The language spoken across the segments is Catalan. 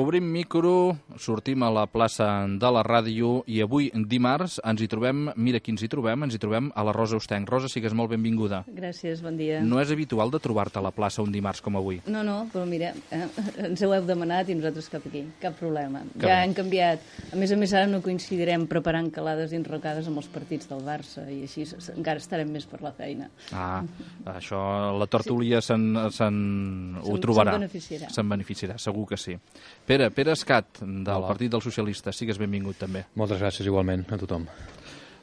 Obrim micro, sortim a la plaça de la ràdio i avui, dimarts, ens hi trobem, mira qui ens hi trobem a la Rosa Ostenc. Rosa, sigues molt benvinguda. Gràcies, bon dia. No és habitual de trobar-te a la plaça un dimarts com avui? No, però mira, ens ho heu demanat i nosaltres cap aquí, cap problema. Ja hem canviat. A més, ara no coincidirem preparant calades i enrocades amb els partits del Barça i així encara estarem més per la feina. Això, la tertúlia ho trobarà. Se'n beneficiarà, segur que sí. Pere Escat, del Partit dels Socialistes, sigues benvingut també. Moltes gràcies igualment a tothom.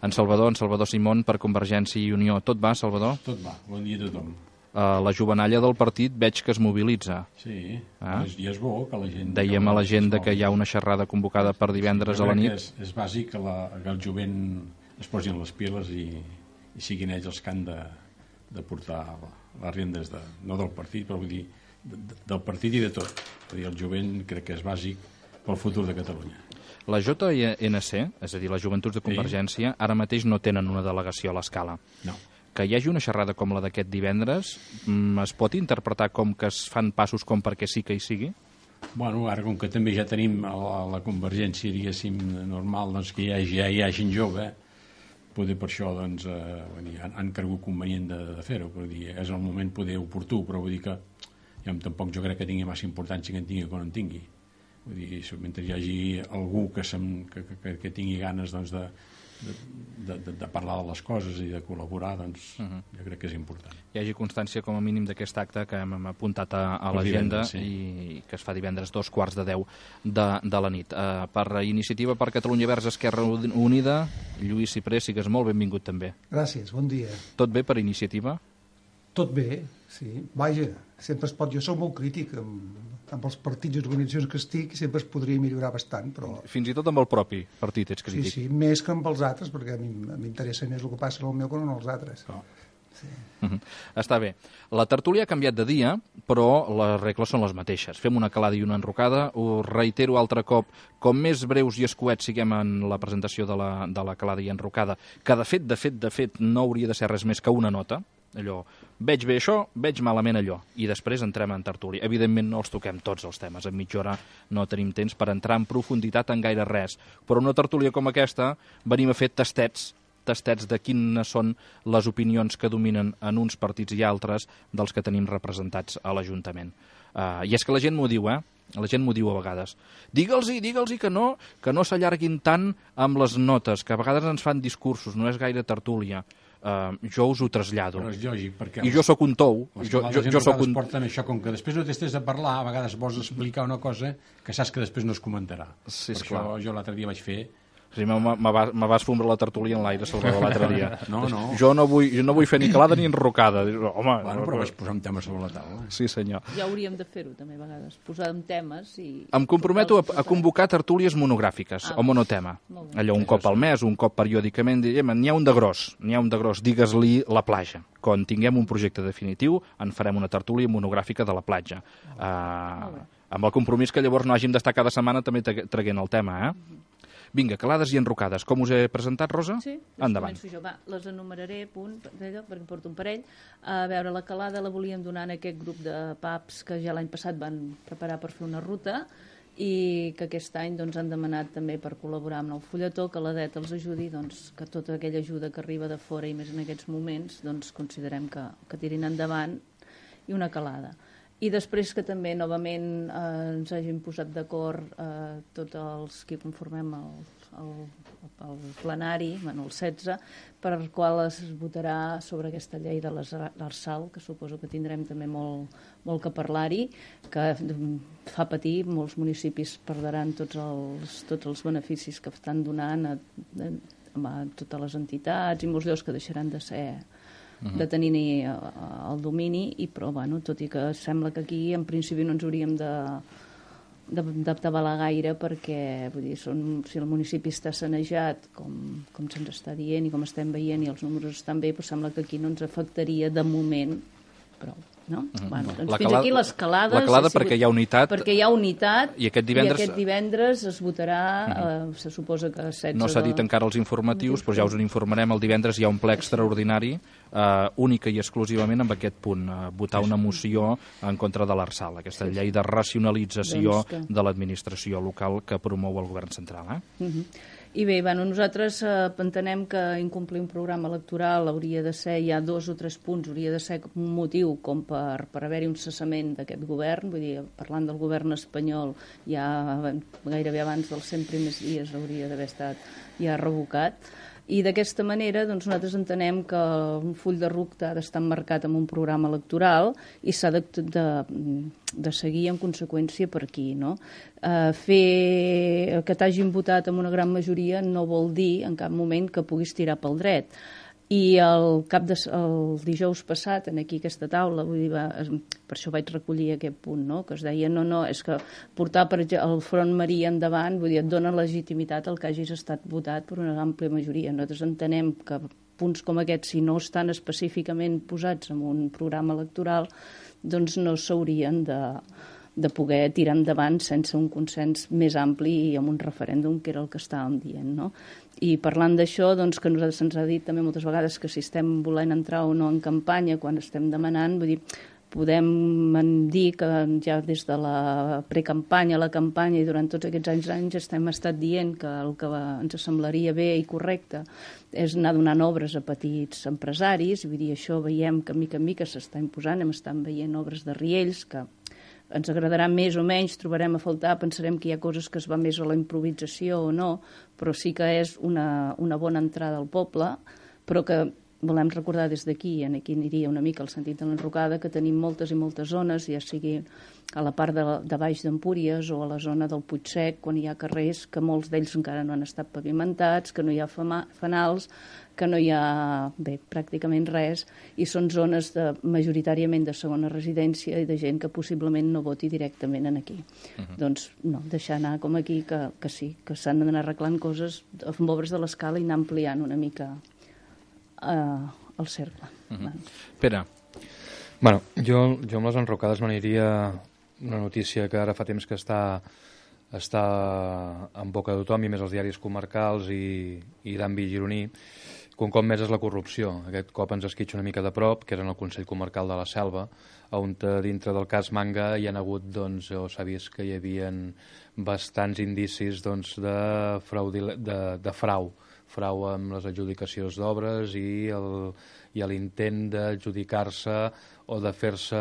En Salvador Simón, per Convergència i Unió. Tot va, Salvador? Tot va, bon dia a tothom. La jovenalla del partit veig que es mobilitza. Sí, i és bo que la gent... Dèiem a la gent que hi ha una xerrada convocada per divendres a la nit. És bàsic que el jovent es posin les piles i siguin ells els que han de portar les rendes, no del partit, però vull dir, del partit i de tot. Vull dir, el jovent crec que és bàsic pel futur de Catalunya. La JNC, és a dir, les Joventuts de Convergència, ara mateix no tenen una delegació a l'Escala. No. Que hi hagi una xerrada com la d'aquest divendres es pot interpretar com que es fan passos com perquè sí que hi sigui? Bueno, ara com que també ja tenim la Convergència, diguéssim, normal, doncs que hi ha gent jove, poder per això doncs, han cregut convenient de fer-ho, però és el moment poder oportú, però vull dir que tampoc jo crec que tingui massa importància que en tingui o que no en tingui. Vull dir, mentre hi hagi algú que tingui ganes doncs, de parlar de les coses i de col·laborar, doncs jo crec que és important. Hi hagi constància com a mínim d'aquest acte que hem apuntat a l'agenda i que es fa divendres 2:15 de la nit. Per Iniciativa per Catalunya Verds Esquerra Unida, Lluís Ciprés, sigues molt benvingut també. Gràcies, bon dia. Tot bé per Iniciativa? Tot bé, sí. Vaja, sempre es pot... Jo soc molt crític amb els partits i organitzacions que estic, sempre es podria millorar bastant, però... Fins i tot amb el propi partit ets crític. Sí, més que amb els altres, perquè a mi m'interessa més el que passa en el meu que no en els altres. Sí. Està bé. La tertúlia ha canviat de dia, però les regles són les mateixes. Fem una calada i una enrocada. Ho reitero altre cop, com més breus i escuets siguem en la presentació de la calada i enrocada, que de fet no hauria de ser res més que una nota, allò, veig bé això, veig malament allò, i després entrem en tertúlia. Evidentment no els toquem tots els temes, en mitja hora no tenim temps per entrar en profunditat en gaire res, però una tertúlia com aquesta venim a fer tastets de quines són les opinions que dominen en uns partits i altres dels que tenim representats a l'Ajuntament. I és que la gent m'ho diu, La gent m'ho diu a vegades. Digue'ls-hi que no s'allarguin tant amb les notes, que a vegades ens fan discursos, no és gaire tertúlia. Jo us ho trasllado. Però és lògic, perquè... I jo sóc un tou. Jo soc un... porten això, com que després no t'estàs a parlar, a vegades vols explicar una cosa que saps que després no es comentarà. Sí, per això jo l'altre dia vaig fer... Sí, me vas fondre la tertúlia en l'aire, Salvador, l'altre dia. No. Jo no vull fer ni calada ni enrocada. Home, però vaig posar un tema sobre la taula. Sí, senyor. Ja hauríem de fer-ho, també, a vegades. Posar en temes i... Em comprometo a convocar tertúlies monogràfiques, o monotema. Allò, un cop al mes, un cop periòdicament, n'hi ha un de gros, digues-li la platja. Quan tinguem un projecte definitiu, en farem una tertúlia monogràfica de la platja. Amb el compromís que llavors no hàgim d'estar cada setmana també traguent el tema, Vinga, calades i enrocades. Com us he presentat, Rosa? Sí, endavant. Començo jo. Les enumeraré perquè porto un parell. A veure, la calada la volíem donar en aquest grup de pubs que ja l'any passat van preparar per fer una ruta i que aquest any han demanat també per col·laborar amb el fulletó, que la DET els ajudi, que tota aquella ajuda que arriba de fora i més en aquests moments, considerem que tirin endavant, i una calada. I després que també, novament, ens hagin posat d'acord tots els que conformem el plenari, el 16, per el qual es votarà sobre aquesta llei de l'Arsal, que suposo que tindrem també molt que parlar-hi, que fa patir, molts municipis perdran tots els beneficis que estan donant a totes les entitats i molts llocs que deixaran de ser... de tenir el domini, però tot i que sembla que aquí en principi no ens hauríem d'atabalar gaire perquè si el municipi està sanejat com se'ns està dient i com estem veient i els números estan bé, sembla que aquí no ens afectaria de moment prou. no? Bueno, doncs fins aquí les calades. La calada perquè hi ha unitat. Perquè hi ha unitat i aquest divendres es votarà, se suposa que 16 No s'ha dit encara els informatius, però ja us en informarem. El divendres hi ha un ple extraordinari, única i exclusivament amb aquest punt, votar una moció en contra de l'Arsal, aquesta llei de racionalització de l'administració local que promou el govern central. I bé, nosaltres entenem que incomplir un programa electoral hauria de ser, hi ha 2 o 3 punts, hauria de ser un motiu com per haver-hi un cessament d'aquest govern, vull dir, parlant del govern espanyol, ja gairebé abans dels 100 primers dies hauria d'haver estat ja revocat. I d'aquesta manera nosaltres entenem que un full de ruta ha d'estar emmarcat en un programa electoral i s'ha de seguir en conseqüència per aquí. No? Fer que t'hagin votat amb una gran majoria no vol dir en cap moment que puguis tirar pel dret. I el dijous passat, aquí aquesta taula, vull dir, per això vaig recollir aquest punt, no? Que es deia, no, és que portar el Front Maria endavant, vull dir, et dona legitimitat al que hagis estat votat per una àmplia majoria. Nosaltres entenem que punts com aquests, si no estan específicament posats en un programa electoral, doncs no s'haurien de poder tirar endavant sense un consens més ampli i amb un referèndum, que era el que estàvem dient, no? I parlant d'això, doncs, que a nosaltres se'ns ha dit també moltes vegades que si estem volent entrar o no en campanya, quan estem demanant, vull dir, podem dir que ja des de la precampanya, la campanya i durant tots aquests anys hem estat dient que el que ens semblaria bé i correcte és anar donant obres a petits empresaris, vull dir, això veiem que mica en mica s'està imposant, hem estat veient obres de riells que ens agradarà més o menys, trobarem a faltar, pensarem que hi ha coses que es va més a la improvisació o no, però sí que és una bona entrada al poble, però que volem recordar des d'aquí, aquí aniria una mica el sentit de l'enrocada, que tenim moltes i moltes zones, ja sigui a la part de baix d'Empúries o a la zona del Puigsec, quan hi ha carrers que molts d'ells encara no han estat pavimentats, que no hi ha fanals, que no hi ha, pràcticament res, i són zones majoritàriament de segona residència i de gent que possiblement no voti directament aquí. Doncs no, deixar anar com aquí, que sí, que s'han d'anar arreglant coses amb obres de l'escala i anar ampliant una mica el cercle. Pere. Bueno, jo amb les enrocades m'aniria una notícia que ara fa temps que està en boca de tothom i més als diaris comarcals i d'àmbit gironí, que un cop més és la corrupció. Aquest cop ens esquitxa una mica de prop, que és en el Consell Comarcal de la Selva, on dintre del cas Manga hi ha hagut, doncs, o s'ha vist que hi havia bastants indicis de frau amb les adjudicacions d'obres i l'intent d'adjudicar-se o de fer-se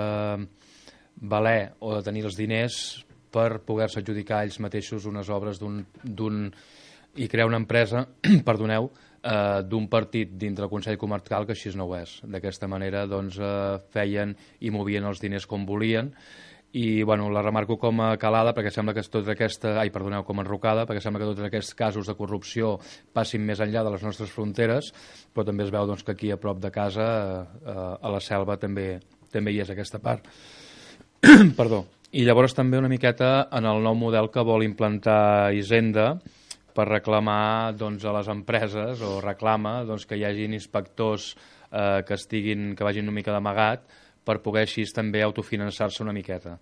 valer o de tenir els diners per poder-se adjudicar ells mateixos unes obres i crear una empresa, perdoneu, d'un partit dintre el Consell Comarcal que així no ho és. D'aquesta manera doncs, feien i movien els diners com volien i bueno, la remarco com a calada perquè sembla que com a enrocada, perquè sembla que tots aquests casos de corrupció passin més enllà de les nostres fronteres, però també es veu doncs, que aquí a prop de casa, a la Selva, també hi és aquesta part. Perdó. I llavors també una miqueta en el nou model que vol implantar Hisenda per reclamar doncs, a les empreses, o reclama doncs, que hi hagin inspectors que vagin una mica d'amagat per poder així també autofinançar-se una miqueta.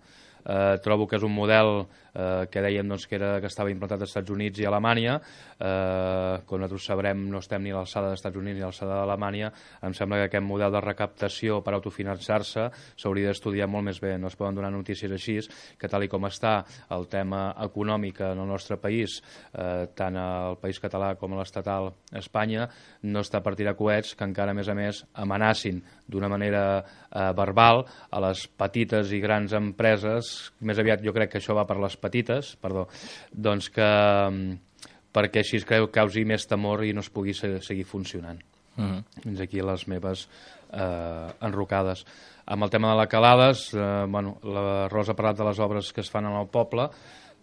Trobo que és un model que dèiem doncs, que estava implantat als Estats Units i a Alemanya. Com nosaltres sabrem, no estem ni a l'alçada dels Estats Units ni a l'alçada d'Alemanya. Em sembla que aquest model de recaptació per autofinançar-se s'hauria d'estudiar molt més bé. No es poden donar notícies així, que tal i com està el tema econòmic en el nostre país, tant al país català com a l'estatal Espanya, no està per tirar coets que encara, a més, amenacin d'una manera verbal a les petites i grans empreses. Més aviat jo crec que això va per les petites, doncs perquè així es creu que causi més temor i no es pugui seguir funcionant. Fins aquí les meves enrocades. Amb el tema de les calades, la Rosa ha parlat de les obres que es fan en el poble,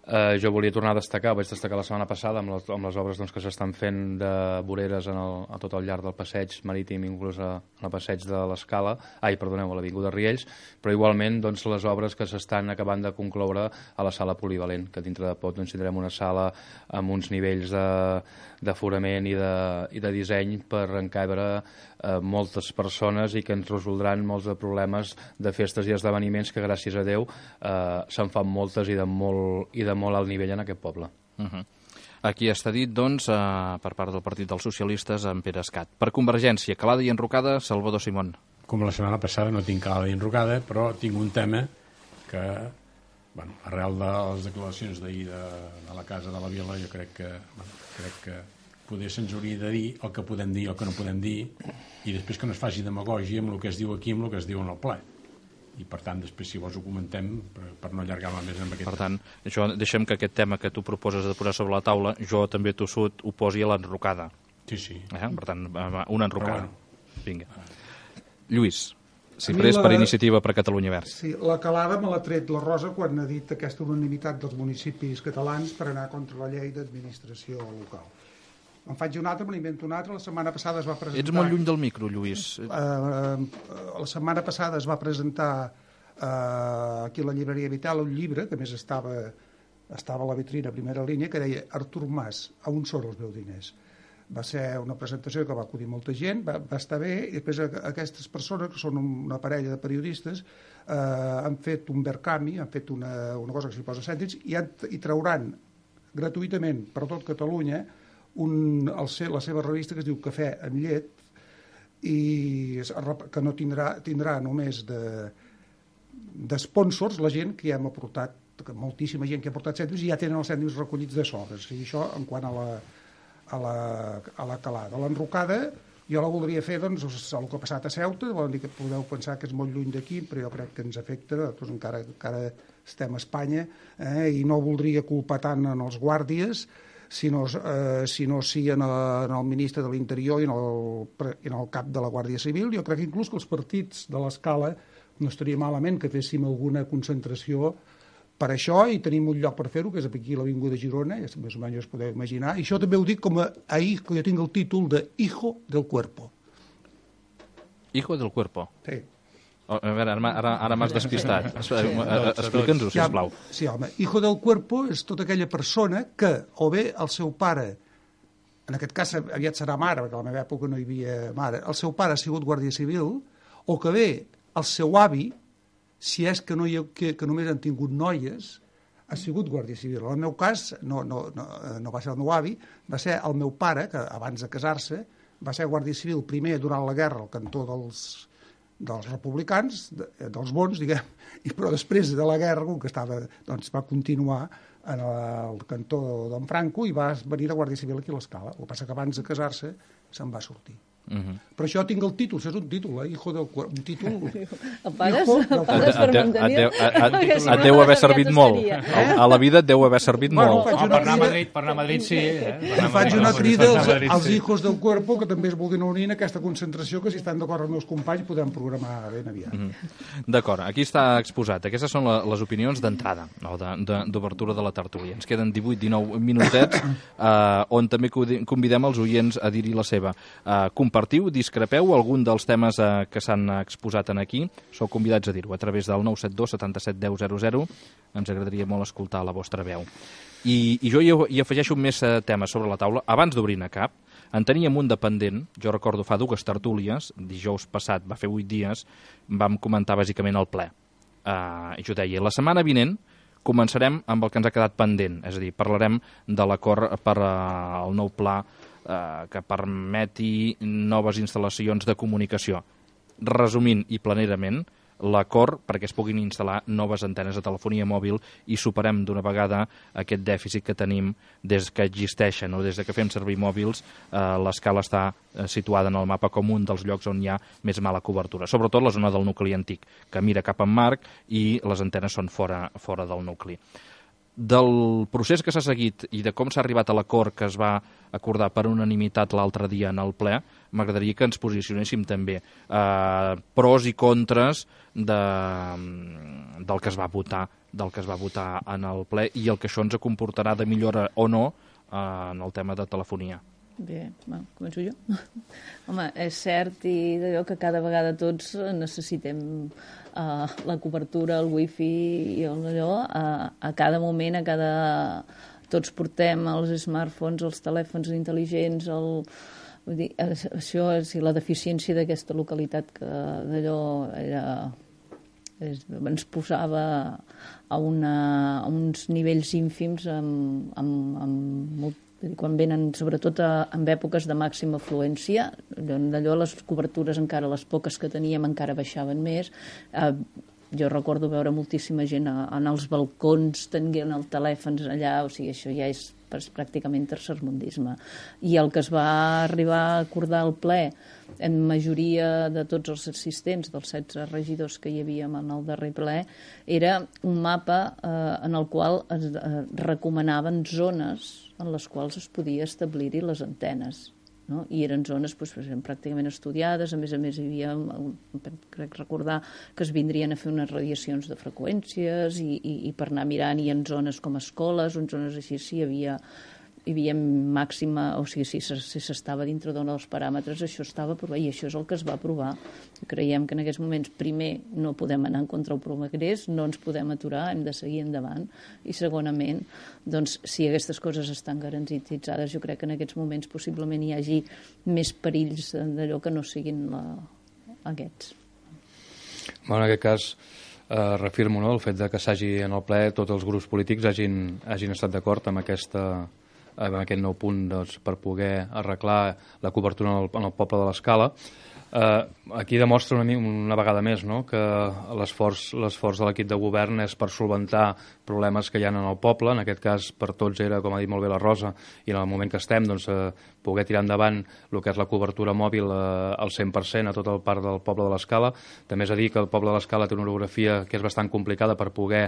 Jo volia tornar a destacar, vaig destacar la setmana passada amb les obres doncs, que s'estan fent de voreres a tot el llarg del passeig marítim, inclús al passeig de l'Escala, a l'Avinguda Riells, però igualment doncs, les obres que s'estan acabant de concloure a la sala polivalent, que dintre de poc doncs, tindrem una sala amb uns nivells d'aforament i de disseny per encabre moltes persones i que ens resoldran molts de problemes de festes i esdeveniments que gràcies a Déu se'n fan moltes i de molt alt nivell en aquest poble. Aquí està dit, doncs, per part del Partit dels Socialistes, en Pere Escat. Per Convergència, calada i enrocada, Salvador Simón. Com la setmana passada no tinc calada i enrocada, però tinc un tema que, arrel de les declaracions d'ahir de la Casa de la Vila, jo crec que poder se'ns hauria de dir el que podem dir i el que no podem dir, i després que no es faci demagògia amb el que es diu aquí i amb el que es diu en el ple. I per tant, després si vols ho comentem per no allargar-me més amb aquest Per tant, deixem que aquest tema que tu proposes de posar sobre la taula, jo també tossut ho posi a l'enrocada. Sí. Per tant, una enrocada. Bueno. Vinga. Lluís, si pres per Iniciativa per Catalunya Verds. Sí, la calada me l'ha tret la Rosa quan ha dit aquesta unanimitat dels municipis catalans per anar contra la llei d'administració local. Em faig un altre, me n'invento un altre. La setmana passada es va presentar... Ets molt lluny del micro, Lluís. La setmana passada es va presentar aquí a la llibreria Vital un llibre, que més estava a la vitrina a primera línia, que deia Artur Mas, a on són els meus diners? Va ser una presentació que va acudir molta gent, va estar bé, i després aquestes persones, que són una parella de periodistes, han fet un Verkami, han fet una cosa que s'hi posa cèntims, i trauran gratuïtament per tot Catalunya la seva revista que es diu Cafè amb llet, i que no tindrà només d'espònsors la gent que ja hem aportat, moltíssima gent que ha aportat cèntims i ja tenen els cèntims recollits de sobres. I això en quant a la calada. L'enrocada jo la voldria fer, doncs, el que ha passat a Ceuta, vol dir que podeu pensar que és molt lluny d'aquí, però jo crec que ens afecta, doncs encara estem a Espanya, i no voldria culpar tant en els guàrdies, sinó sí en el ministre de l'Interior i en el cap de la Guàrdia Civil. Jo crec inclús que els partits de l'Escala no estaria malament que féssim alguna concentració per això, i tenim un lloc per fer-ho, que és aquí a l'Avinguda Girona, ja més o menys us podeu imaginar, i això també ho dic com ahir, que jo tinc el títol de Hijo del Cuerpo. Hijo del Cuerpo? Sí. A veure, ara m'has despistat. Explica'ns-ho, sisplau. Sí, home, Hijo del Cuerpo és tota aquella persona que, o bé el seu pare, en aquest cas aviat serà mare, perquè a la meva època no hi havia mare, el seu pare ha sigut guàrdia civil, o que bé el seu avi, si és que només han tingut noies, ha sigut guàrdia civil. En el meu cas, no va ser el meu avi, va ser el meu pare, que abans de casar-se va ser guàrdia civil primer durant la guerra al cantó dels republicans, dels bons, diguem, però després de la guerra, com que va continuar en el cantó d'en Franco i va venir a Guàrdia Civil aquí a l'Escala. El que passa que abans de casar-se se'n va sortir. Però això tinc el títol, això és un títol, Hijo del Cuerpo, un títol... El pagues per mantenir? Et deu haver servit molt. A la vida et deu haver servit molt. Per anar a Madrid sí. Faig una crida als Hijos del Cuerpo, que també es vulguin unir en aquesta concentració, que si estan d'acord els meus companys podem programar ben aviat. D'acord, aquí està exposat. Aquestes són les opinions d'entrada, d'obertura de la tertúlia. Ens queden 18-19 minutets, on també convidem els oients a dir-hi la seva. Compartiu, discrepeu algun dels temes que s'han exposat aquí, sou convidats a dir-ho a través del 972 77 10 00. Ens agradaria molt escoltar la vostra veu. I jo hi afegeixo més temes sobre la taula. Abans d'obrir-ne cap, en teníem un de pendent, jo recordo fa 2 tertúlies, dijous passat, va fer 8 dies, vam comentar bàsicament el ple. Jo deia, la setmana vinent començarem amb el que ens ha quedat pendent, és a dir, parlarem de l'acord per al nou pla que permeti noves instal·lacions de comunicació. Resumint i planerament, l'acord perquè es puguin instal·lar noves antenes de telefonia mòbil i superem d'una vegada aquest dèficit que tenim des que existeixen o des que fem servir mòbils. L'Escala està situada en el mapa com un dels llocs on hi ha més mala cobertura, sobretot la zona del nucli antic, que mira cap en Marc i les antenes són fora del nucli. Del procés que s'ha seguit i de com s'ha arribat a l'acord que es va acordar per unanimitat l'altre dia en el ple, m'agradaria que ens posicionéssim també. Pros i contres del que es va votar en el ple i el que això ens comportarà de millora o no en el tema de telefonia. Bé, començo jo. Home, és cert i d'allò que cada vegada tots necessitem la cobertura, el wifi i allò, a cada moment, tots portem els smartphones, els telèfons intel·ligents, vull dir, això és la deficiència d'aquesta localitat que d'allò ens posava a uns nivells ínfims quan venen, sobretot en èpoques de màxima afluència, d'allò les cobertures encara, les poques que teníem encara baixaven més. Jo recordo veure moltíssima gent en els balcons tenint el telèfon allà, o sigui, això ja és pràcticament tercermundisme. I el que es va arribar a acordar al ple en majoria de tots els assistents, dels 16 regidors que hi havíem en el darrer ple, era un mapa en el qual es recomanaven zones en les quals es podia establir-hi les antenes. No? I eren zones pràcticament estudiades, a més hi havia, crec recordar, que es vindrien a fer unes radiacions de freqüències i per anar mirant, i en zones com escoles, en zones així, sí, hi havia màxima, o sigui, si s'estava dintre dels paràmetres, això estava aprovat, i això és el que es va aprovar. Creiem que en aquests moments, primer, no podem anar en contra el progrés, no ens podem aturar, hem de seguir endavant, i segonament, doncs, si aquestes coses estan garantitzades, jo crec que en aquests moments possiblement hi hagi més perills d'allò que no siguin aquests. En aquest cas, reafirmo el fet que s'hagi en el ple tots els grups polítics hagin estat d'acord amb aquest nou punt per poder arreglar la cobertura en el poble de l'Escala. Aquí demostra una vegada més que l'esforç de l'equip de govern és per solventar problemes que hi ha en el poble. En aquest cas, per tots era, com ha dit molt bé la Rosa, i en el moment que estem, poder tirar endavant el que és la cobertura mòbil al 100% a tot el parc del poble de l'Escala. També és a dir que el poble de l'Escala té una orografia que és bastant complicada per poder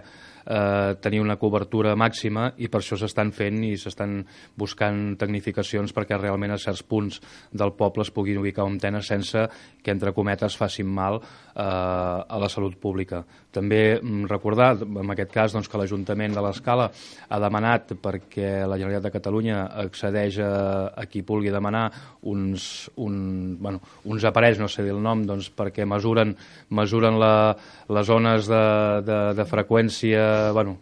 tenir una cobertura màxima, i per això s'estan fent i s'estan buscant tecnificacions perquè realment a certs punts del poble es puguin ubicar antenes sense que, entre cometes, facin mal a la salut pública. També recordar, en aquest cas, que l'Ajuntament de l'Escala ha demanat, perquè la Generalitat de Catalunya accedeix a qui pugui demanar uns aparells, no sé dir el nom, perquè mesuren les zones de freqüència,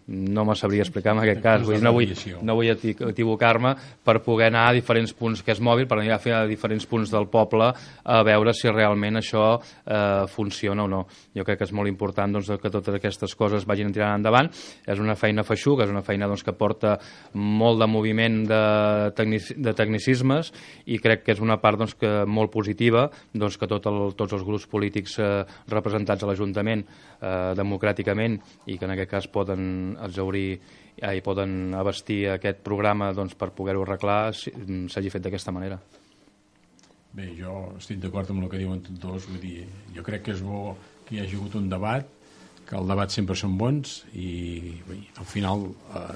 no me sabria explicar en aquest cas, no vull equivocar-me, per poder anar a diferents punts que és mòbil, per anar a fer a diferents punts del poble a veure si realment això funciona o no. Jo crec que és molt important que totes aquestes coses vagin tirant endavant. És una feina feixuga, és una feina que porta molt de moviment de tecnicismes, i crec que és una part molt positiva que tots els grups polítics representats a l'Ajuntament democràticament, i que en aquest cas poden exhaurir i poden abastir aquest programa per poder-ho arreglar, s'hagi fet d'aquesta manera. Bé, jo estic d'acord amb el que diuen tots dos. Vull dir, jo crec que és bo que hi hagi hagut un debat, que el debat sempre són bons, i al final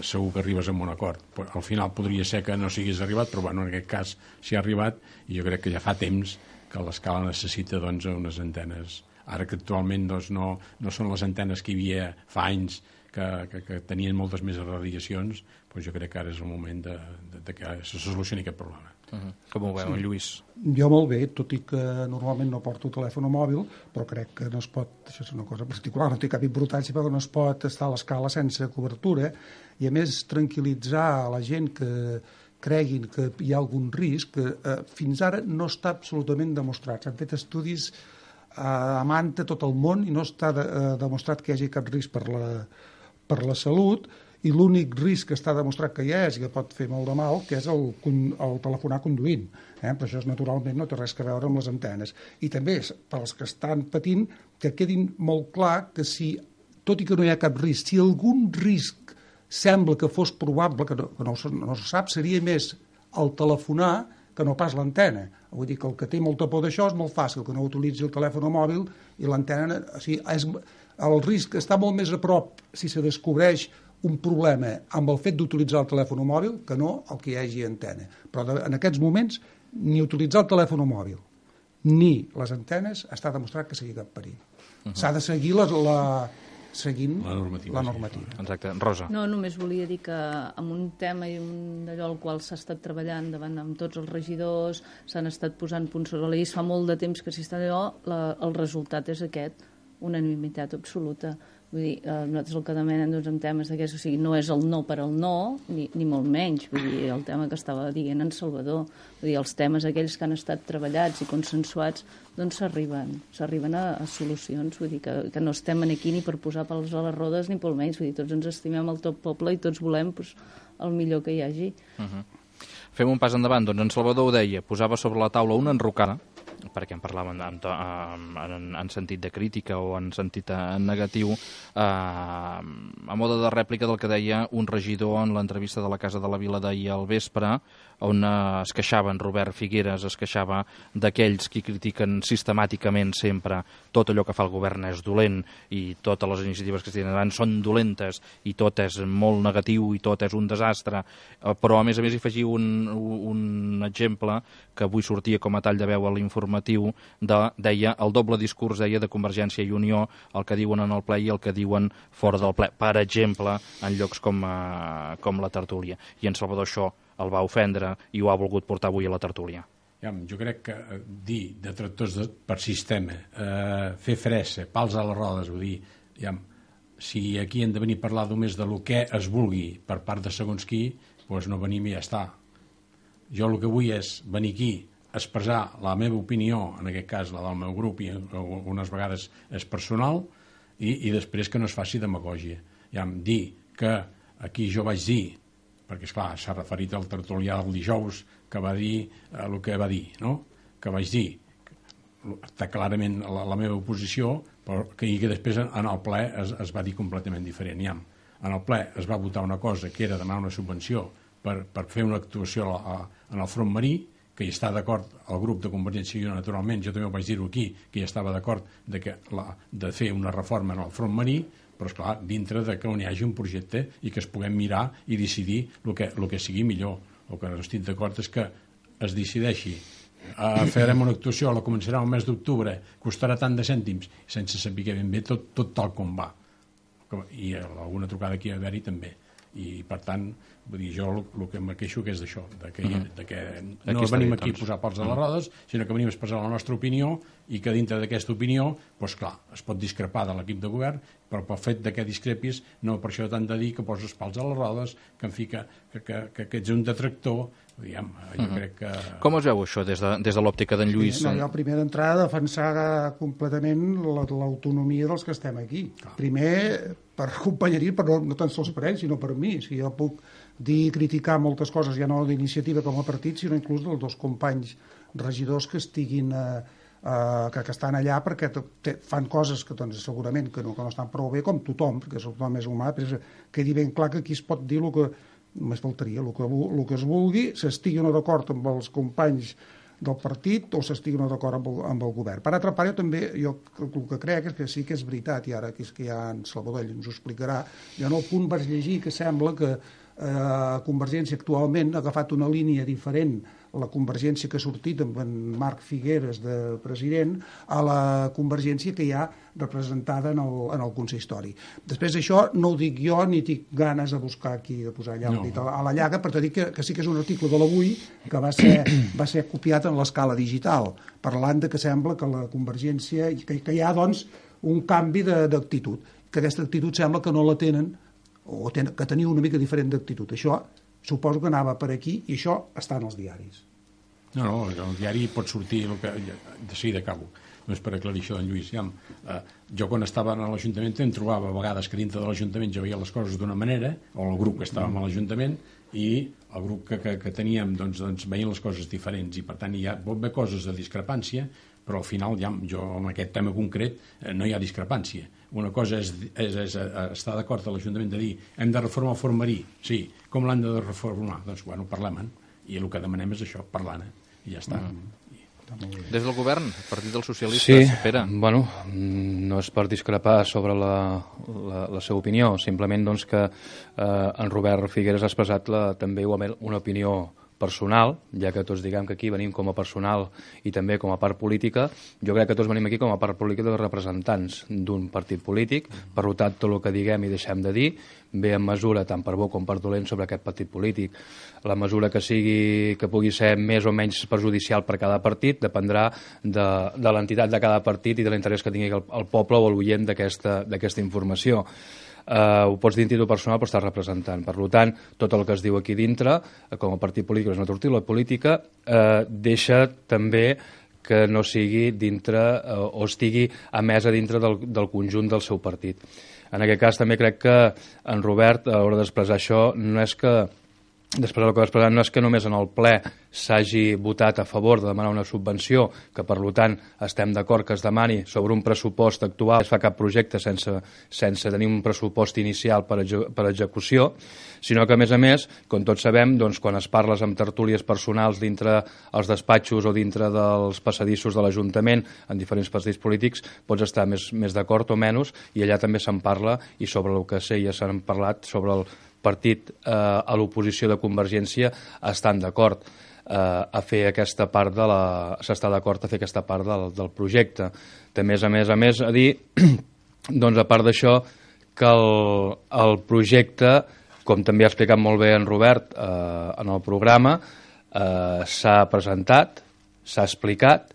segur que arribes a un acord. Al final podria ser que no s'hagués arribat, però en aquest cas s'hi ha arribat, i jo crec que ja fa temps que l'Escala necessita unes antenes. Ara que actualment no són les antenes que hi havia fa anys, que tenien moltes més radiacions, jo crec que ara és el moment de que se solucioni aquest problema. Com ho veu, Lluís? Jo molt bé, tot i que normalment no porto telèfon mòbil, però crec que no es pot, això és una cosa particular, no té cap importància, perquè no es pot estar a l'Escala sense cobertura, i a més tranquil·litzar a la gent que creguin que hi ha algun risc, que fins ara no està absolutament demostrat. S'han fet estudis a manta tot el món i no està demostrat que hi hagi cap risc per la salut, i l'únic risc que està demostrat que hi és i que pot fer molt de mal, que és el telefonar conduint. Però això naturalment no té res a veure amb les antenes. I també, per als que estan patint, que quedin molt clar que si, tot i que no hi ha cap risc, si algun risc sembla que fos probable, que no se sap, seria més el telefonar que no pas l'antena. Vull dir que el que té molta por d'això és molt fàcil, que no utilitzi el telèfon mòbil i l'antena. O sigui, el risc està molt més a prop si se descobreix un problema amb el fet d'utilitzar el telèfon mòbil que no el que hi hagi antena. Però en aquests moments ni utilitzar el telèfon mòbil ni les antenes està demostrat que sigui cap perill. S'ha de seguir seguint la normativa. Exacte. Rosa. No, només volia dir que amb un tema i d'allò al qual s'ha estat treballant davant amb tots els regidors, s'han estat posant punts sobre la i fa molt de temps que s'hi està allò, el resultat és aquest, unanimitat absoluta. Vull dir, nosaltres el que demanem doncs, en temes d'aquests, o sigui, no és el no per al no, ni molt menys, vull dir, el tema que estava dient en Salvador, vull dir, els temes aquells que han estat treballats i consensuats, doncs s'arriben a solucions, vull dir, que no estem aquí ni per posar pals a les rodes ni pel menys, vull dir, tots ens estimem el tot poble i tots volem doncs, el millor que hi hagi. Fem un pas endavant, doncs en Salvador ho deia, posava sobre la taula una enrocada, perquè en parlaven en sentit de crítica o en sentit negatiu, a mode de rèplica del que deia un regidor en l'entrevista de la Casa de la Vila d'ahir al vespre, on es queixava en Robert Figueres, es queixava d'aquells qui critiquen sistemàticament sempre tot allò que fa el govern és dolent i totes les iniciatives que es tenen són dolentes i tot és molt negatiu i tot és un desastre, però a més hi afegiu un exemple que avui sortia com a tall de veu a l'informatiu, deia el doble discurs deia de Convergència i Unió, el que diuen en el ple i el que diuen fora del ple, per exemple, en llocs com la tertúlia. I en Salvador això el va ofendre i ho ha volgut portar avui a la tertúlia. Jo crec que dir de tractors per sistema, fer fressa, pals a les rodes, vull dir, si aquí hem de venir a parlar només de lo que es vulgui per part de segons qui, doncs no venim i ja està. Jo el que vull és venir aquí a expressar la meva opinió, en aquest cas la del meu grup, i unes vegades és personal, i després que no es faci demagògia. Dir que aquí jo vaig dir, perquè esclar, s'ha referit al tertulià del dijous, que va dir el que va dir, no? Que vaig dir està clarament la meva oposició, però que després en el ple es va dir completament diferent. En el ple es va votar una cosa que era demanar una subvenció per fer una actuació en el front marí, que hi està d'acord el grup de Convergència i Unió, naturalment, jo també ho vaig dir-ho aquí, que hi estava d'acord de fer una reforma en el front marí, però esclar, dintre de que on hi hagi un projecte i que es puguem mirar i decidir el que sigui millor. El que no estic d'acord és que es decideixi farem una actuació, la començarà el mes d'octubre, costarà tant de cèntims, sense saber ben bé tot tal com va. I alguna trucada aquí a haver-hi també. I per tant, vull dir, jo el que em queixo que és d'això, que no venim aquí a posar pals a les rodes, sinó que venim a expressar la nostra opinió i que dintre d'aquesta opinió, doncs clar, es pot discrepar de l'equip de govern, però pel fet que discrepis no per això t'han de dir que poses pals a les rodes, que en fi, que ets un detractor, diguem, jo crec que... Com es veu això des de l'òptica d'en Lluís? No, jo primer d'entrada defensar completament l'autonomia dels que estem aquí. Primer, per companyeria, però no tan sols per ells, sinó per mi. Si jo puc dir i criticar moltes coses, ja no d'iniciativa com a partit, sinó inclús dels dos companys regidors que estiguin que estan allà perquè fan coses que doncs, segurament que no estan prou bé, com tothom, perquè tothom és humà, però quedi ben clar que aquí es pot dir el que només faltaria, el que es vulgui, s'estigui o no d'acord amb els companys del partit o s'estigui o no d'acord amb el govern. Per altra part, jo el que crec és que sí que és veritat, i ara que ja en Salvador ens ho explicarà, jo en el punt vaig llegir que sembla que Convergència actualment ha agafat una línia diferent, la Convergència que ha sortit amb en Marc Figueres de president, a la Convergència que hi ha representada en el consistori. Després d'això no ho dic jo ni tinc ganes de buscar aquí, de posar allà a la llaga, per dir que sí que és un article de l'Avui que va ser copiat en l'escala digital, parlant de que sembla que la Convergència, que hi ha doncs un canvi d'actitud, que aquesta actitud sembla que no la tenen o que tenia una mica diferent d'actitud. Això suposo que anava per aquí i això està en els diaris. No, el diari pot sortir el que... De seguida acabo. Només per aclarir això d'en Lluís. Jo quan estava a l'Ajuntament em trobava a vegades que dintre de l'Ajuntament jo veia les coses d'una manera, o el grup que estàvem a l'Ajuntament, i el grup que teníem doncs veien les coses diferents, i per tant hi pot haver coses de discrepància, però al final jo en aquest tema concret no hi ha discrepància. Una cosa és estar d'acord a l'Ajuntament de dir hem de reformar el front marí, sí, com l'han de reformar? Doncs parlem-en, i el que demanem és això, parlar-ne, i ja està. Des del govern, Partit dels Socialistes, Pere. Bueno, no és per discrepar sobre la seva opinió, simplement doncs, que en Robert Figueres ha expressat també una opinió personal, ja que tots diguem que aquí venim com a personal i també com a part política, jo crec que tots venim aquí com a part política de representants d'un partit polític, per tant, tot el que diguem i deixem de dir ve en mesura, tant per bo com per dolent, sobre aquest partit polític. La mesura que pugui ser més o menys perjudicial per cada partit dependrà de l'entitat de cada partit i de l'interès que tingui el poble o l'oient d'aquesta informació. Ho pots dir en títol personal, però estàs representant. Per tant, tot el que es diu aquí dintre, com a partit polític, és una tortilla política, deixa també que no sigui dintre o estigui emesa dintre del conjunt del seu partit. En aquest cas també crec que en Robert, a l'hora d'expressar això, no és que després el que va expressar no és que només en el ple s'hagi votat a favor de demanar una subvenció, que per tant estem d'acord que es demani sobre un pressupost actual, no es fa cap projecte sense tenir un pressupost inicial per execució, sinó que a més, com tots sabem, doncs, quan es parles amb tertúlies personals dintre els despatxos o dintre dels passadissos de l'Ajuntament en diferents partits polítics, pots estar més d'acord o menys, i allà també se'n parla, i sobre el que sé ja s'han parlat sobre el partit a l'oposició de Convergència estan d'acord a fer aquesta part s'està d'acord a fer aquesta part del projecte. També, a més, a dir, doncs, a part d'això, que el projecte, com també ha explicat molt bé en Robert en el programa, s'ha presentat, s'ha explicat,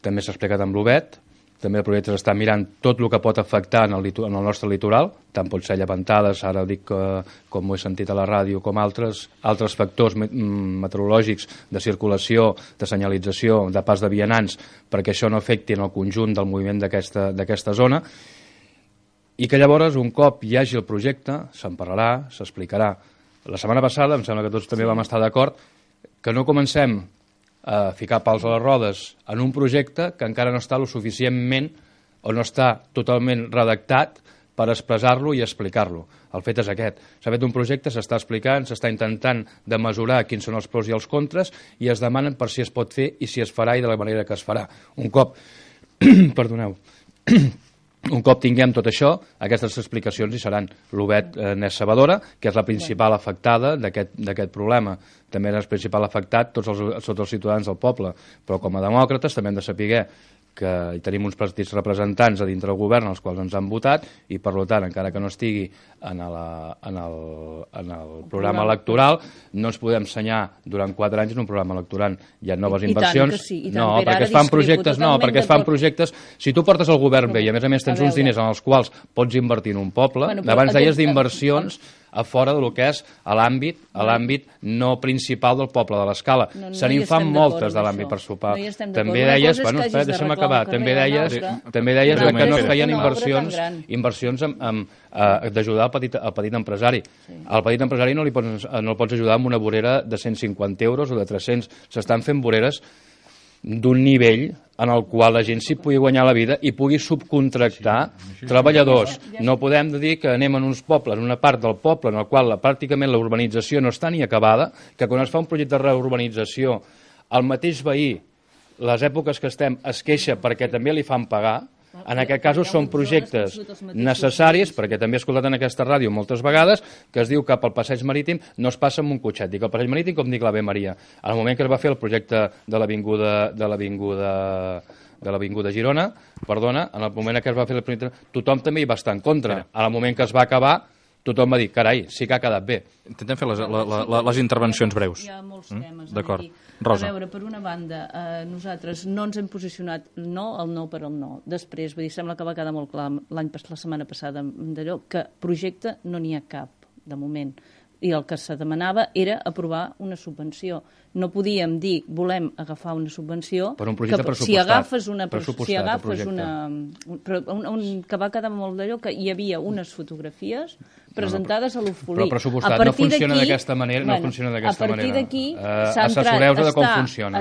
també s'ha explicat amb l'Obet, també el projecte s'està mirant tot el que pot afectar en el nostre litoral, tant pot ser llevantades, ara dic com ho he sentit a la ràdio, com altres factors meteorològics de circulació, de senyalització, de pas de vianants, perquè això no afecti en el conjunt del moviment d'aquesta zona, i que llavors, un cop hi hagi el projecte, se'n parlarà, s'explicarà. La setmana passada, em sembla que tots també vam estar d'acord, que no comencem a ficar pals a les rodes en un projecte que encara no està lo suficientment o no està totalment redactat per expressar-lo i explicar-lo. El fet és aquest. S'ha fet un projecte, s'està explicant, s'està intentant de mesurar quins són els pros i els contres i es demanen per si es pot fer i si es farà i de la manera que es farà. Un cop un cop tinguem tot això, aquestes explicacions hi seran. L'Obet n'és sabedora, que és la principal afectada d'aquest problema. També és el principal afectat tots els ciutadans del poble, però com a demòcrates també hem de saber que hi tenim uns partits representants a dintre del govern els quals ens han votat i per tant, encara que no estigui en el programa electoral, no ens podem ensenyar durant 4 anys en un programa electoral. Hi ha noves inversions. No, perquè es fan projectes. Si tu portes el govern bé i a més tens uns diners en els quals pots invertir en un poble, abans deies d'inversions a fora del que és l'àmbit no principal del poble de l'Escala. Se n'hi fan moltes de l'àmbit per sopar. També deies, deixa'm acabar, també deies que no es feien inversions d'ajudar al petit empresari. Al petit empresari no el pots ajudar amb una vorera de 150 euros o de 300. S'estan fent voreres d'un nivell en el qual la gent s'hi pugui guanyar la vida i pugui subcontractar treballadors. No podem dir que anem en uns pobles, en una part del poble en el qual pràcticament la urbanització no està ni acabada, que quan es fa un projecte de reurbanització el mateix veí, les èpoques que estem, es queixa perquè també li fan pagar. En aquest cas són projectes necessaris, perquè també he escoltat en aquesta ràdio moltes vegades que es diu que pel passeig marítim no es passa amb un cotxet. Dic el passeig marítim com dic l'Ave Maria. En el moment que es va fer el projecte de l'avinguda Girona, en el moment que es va fer el projecte, tothom també hi va estar en contra. En el moment que es va acabar, tothom va dir, carai, sí que ha quedat bé. Intentem fer les intervencions breus. Hi ha molts temes. D'acord. Rosa. A veure, per una banda, nosaltres no ens hem posicionat el no per el no. Després, vull dir, sembla que va quedar molt clar la setmana passada d'allò que projecte no n'hi ha cap, de moment. I el que se demanava era aprovar una subvenció. No podíem dir, volem agafar una subvenció... Per un projecte pressupostat. Si agafes que va quedar molt d'allò que hi havia unes fotografies presentades a l'UFOLI. Però pressupostat no funciona d'aquesta manera. A partir d'aquí s'ha entrat,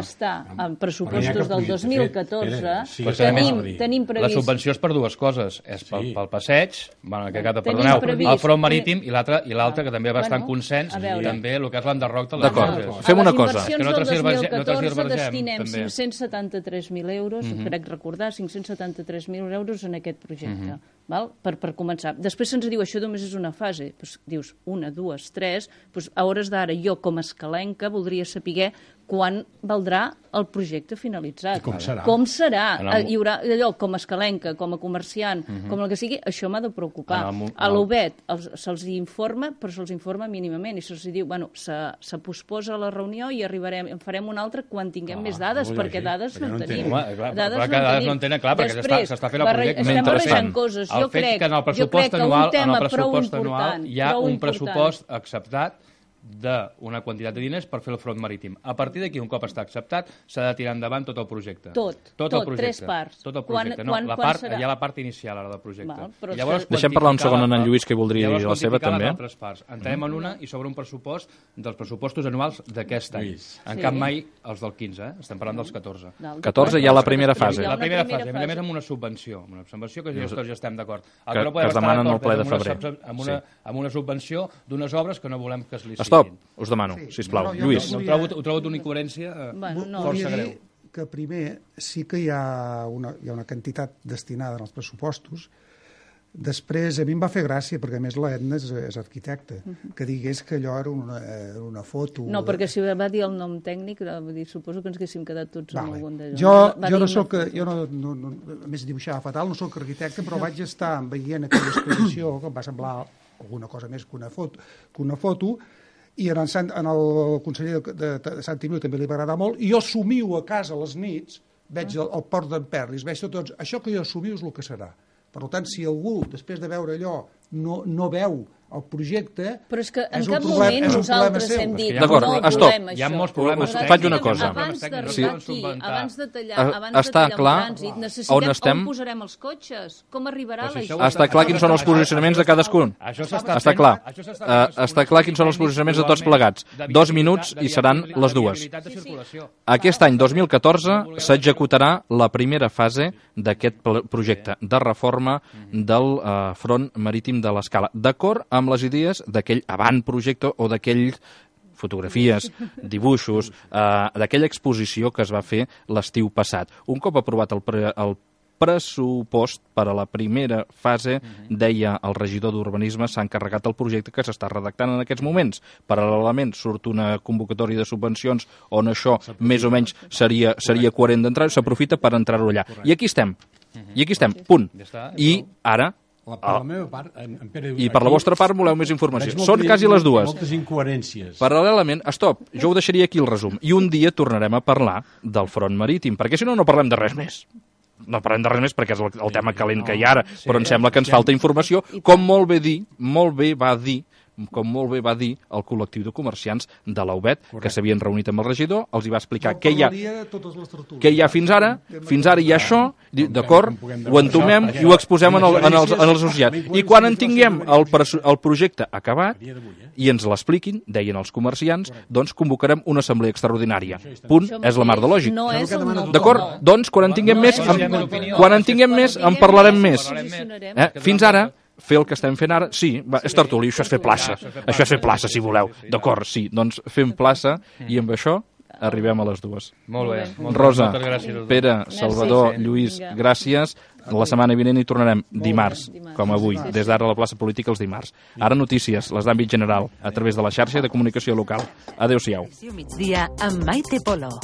està en pressupostos del 2014. Tenim previst... La subvenció és per dues coses. És pel passeig, el front marítim i l'altre que també va estar en consens, també el que és l'enderroc de les D'acord, fem una cosa. licitacions Que no del tergiversem, 2014 destinem també. 573.000 euros, crec recordar, 573.000 euros en aquest projecte, val? Per començar. Després se'ns diu, això només és una fase. Pues, dius, 1, 2, 3, pues, a hores d'ara jo com a escalenca voldria saber quan valdrà el projecte finalitzat. I com serà? Com serà? Hi haurà allò, com a escalenca, com a comerciant, com el que sigui, això m'ha de preocupar. A l'UBET se'ls informa, però se'ls informa mínimament, i se'ls diu, bueno, se posposa la reunió i en farem una altra quan tinguem més dades, perquè dades no en tenim. Dades no en tenen, clar, perquè s'està fent el projecte. Estem barrejant coses. El fet que en el pressupost anual hi ha un pressupost acceptat d'una quantitat de diners per fer el front marítim. A partir d'aquí, un cop està acceptat, s'ha de tirar endavant tot el projecte. Tot, tres parts. Tot el projecte. No, hi ha la part inicial ara del projecte. Deixem parlar un segon en Lluís, que voldria dir la seva també. Entrem en una i sobre un pressupost dels pressupostos anuals d'aquest any. En cap mai els del 15, estem parlant dels 14. 14 hi ha la primera fase. La primera fase, a més amb una subvenció. Una subvenció que tots ja estem d'acord. Que es demanen al ple de febrer. Amb una subvenció d'unes obres que no volem que es licitin. Stop, us demano, sisplau. Lluís. Ho trobo d'una incoherència força greu. Que primer sí que hi ha una quantitat destinada en els pressupostos. Després, a mi em va fer gràcia, perquè a més l'Edna és arquitecte, que digués que allò era una foto... No, perquè si va dir el nom tècnic, suposo que ens haguéssim quedat tots amb algun d'allò. Jo no soc... a més, dibuixava fatal, no soc arquitecte, però vaig estar veient aquella exposició, que em va semblar alguna cosa més que una foto, i el conseller de Sant Imiu també li va agradar molt, i jo somiu a casa a les nits, veig el port d'en Perlis, veig tots, això que jo somiu és el que serà. Per tant, si algú, després de veure allò, no veu el projecte... Però és que en cap moment nosaltres hem dit no volem això. Hi ha molts problemes. Faig una cosa. Abans d'arribar aquí, abans de tallar un trànsit, necessitem on posarem els cotxes, com arribarà la gent. Està clar quins són els posicionaments de cadascun. Està clar. Està clar quins són els posicionaments de tots plegats. 2 minuts i seran les 2. Aquest any 2014 s'executarà la primera fase d'aquest projecte de reforma del front marítim de l'Escala, d'acord amb les idees d'aquell avantprojecte o d'aquell fotografies, dibuixos, d'aquella exposició que es va fer l'estiu passat. Un cop aprovat el pressupost per a la primera fase, deia el regidor d'Urbanisme, s'ha encarregat el projecte que s'està redactant en aquests moments. Paral·lelament surt una convocatòria de subvencions on això més o menys seria coherent d'entrar, s'aprofita per entrar-ho allà. I aquí estem, punt. I ara... I per la vostra part voleu més informació. Són quasi les 2. Moltes incoherències. Paral·lelament, stop, jo ho deixaria aquí el resum. I un dia tornarem a parlar del front marítim, perquè si no, no parlem de res més. No parlem de res més perquè és el tema calent que hi ha ara, però em sembla que ens falta informació, com molt bé va dir el col·lectiu de comerciants de la UBET, que s'havien reunit amb el regidor, els hi va explicar què hi ha fins ara hi ha això, d'acord, ho entomem i ho exposem als associats. I quan en tinguem el projecte acabat i ens l'expliquin, deien els comerciants, doncs convocarem una assemblea extraordinària. Punt, és la mar de lògic. D'acord? Doncs quan en tinguem més en parlarem més. Fins ara fer el que estem fent ara, sí, és tertuli, això és fer plaça. Això és fer plaça, si voleu. D'acord, sí, doncs fem plaça i amb això arribem a les 2. Molt bé. Rosa, Pere, Salvador, Lluís, gràcies. La setmana vinent hi tornarem dimarts, com avui, des d'ara a la plaça política els dimarts. Ara notícies, les d'àmbit general, a través de la xarxa de comunicació local. Adéu-siau. Migdia amb Maite Polo.